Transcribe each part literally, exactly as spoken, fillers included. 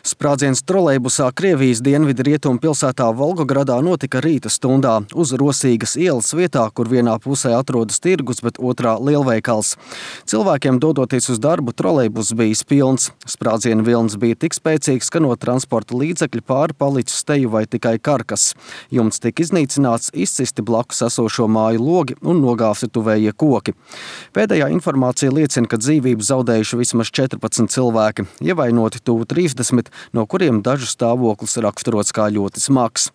Sprādziens trolejbusā Krievijas dienvidu rietumu pilsētā Volgogradā notika rīta stundā uz Rosīgas ielas vietā, kur vienā pusē atrodas tirgus, bet otrā lielveikals. Cilvēkiem dodoties uz darbu, trolejbus bijis pilns. Sprādziena vilnis bija tik spēcīgs, ka no transporta līdzekļa pāri palicis teju vai tikai karkas. Jumts tika iznīcināts, izcisti blakus esošo māju logi un nogāvti tuvējie koki. Pēdējā informācija liecina, ka dzīvību zaudējuši vismaz četrpadsmit cilvēki, ievainoti tuvu trīsdesmit, no kuriem dažu stāvoklis raksturots kā ļoti smags.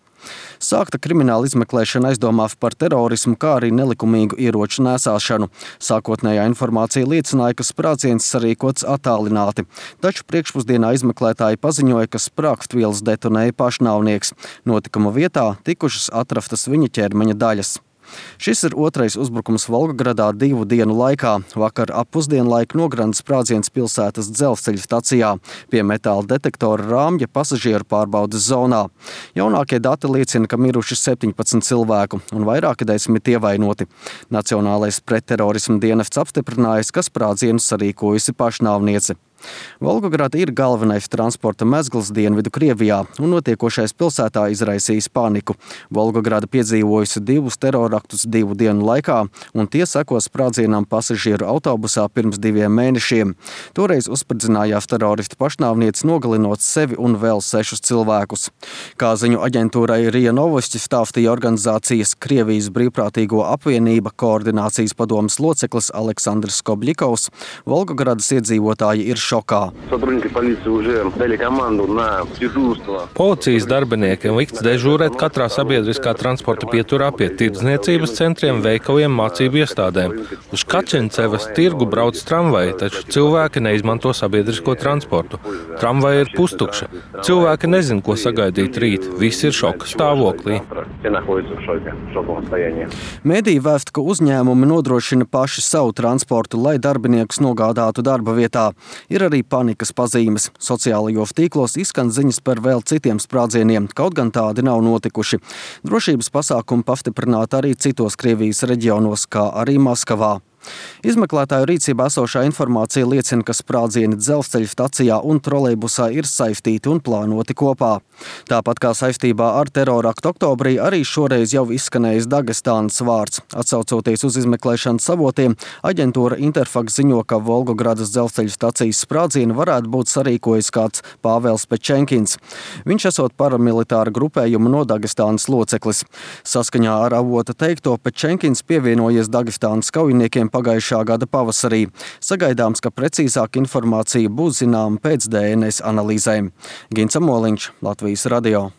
Sākta krimināla izmeklēšana aizdomās par terorismu, kā arī nelikumīgu ieroču nēsāšanu. Sākotnējā informācija liecināja, ka sprādziens sarīkots attālināti, taču priekšpusdienā izmeklētāji paziņoja, ka sprāgstvielas detonēja pašnāvnieks. Notikuma vietā tikušas atrastas viņa ķermeņa daļas. Šis ir otrais uzbrukums Volgogradā divu dienu laikā. Vakar ap pusdienlaiku nogranda sprādziens pilsētas dzelzceļa stacijā pie metāla detektora rāmja pasažieru pārbaudes zonā. Jaunākie dati liecina, ka miruši septiņpadsmit cilvēku un vairāki desmit ievainoti. Nacionālais pretterorisma dienests apstiprinājis, ka sprādzienu sarīkojusi pašnāvniece. Volgograda ir galvenais transporta mezgls dienvidu Krievijā, un notiekošais pilsētā izraisījis paniku. Volgograda piedzīvojusi divus teroraktus divu dienu laikā, un tie seko sprādzienam pasažieru autobusā pirms diviem mēnešiem. Toreiz uzspridzinājās teroristu pašnāvniece, nogalinot sevi un vēl sešus cilvēkus. Kā ziņu aģentūrai RIA Novosti stāstīja organizācijas Krievijas brīvprātīgo apvienība koordinācijas padomes loceklis Aleksandrs Skobļikovs, Volgogradas iedzīvotāji ir šokā. Policijas darbiniekiem likts dežūrēt katrā sabiedriskā transporta pieturā pie tirdzniecības centriem, veikaliem, mācību iestādēm. Uz Kačencevas tirgu brauc tramvaji, taču cilvēki neizmanto sabiedrisko transportu. Tramvaji ir pustukša. Cilvēki nezin, ko sagaidīt rīt. Visi ir šoka stāvoklī. Mēdīji vēsta, ka uzņēmumi nodrošina paši savu transportu, lai darbiniekus nogādātu darba vietā. Ir arī panikas pazīmes. Sociālajos tīklos izskan ziņas par vēl citiem sprādzieniem, kaut gan tādi nav notikuši. Drošības pasākumi pastiprināti arī citos Krievijas reģionos, kā arī Maskavā. Izmeklētāju rīcībā esošā informācija liecina, ka sprādzieni dzelzceļa stacijā un trolejbusā ir saistīti un plānoti kopā. Tāpat kā saistībā ar teroraktu oktobrī, arī šoreiz jau izskanējis Dagestānas vārds. Atsaucoties uz izmeklēšanas avotiem, aģentūra Interfax ziņo, ka Volgogradas dzelzceļa stacijas sprādzienu varētu būt sarīkojis kāds Pāvels Pečenkins. Viņš esot paramilitāra grupējuma no Dagestānas loceklis. Saskaņā ar avota teikto, Pečenkins pievienojies Dagestānas kaujiniekiem pagājušā gada pavasarī. Sagaidāms, ka precīzāka informācija būs zināma pēc D N S analīzēm. Gins Amoliņš, Latvijas radio.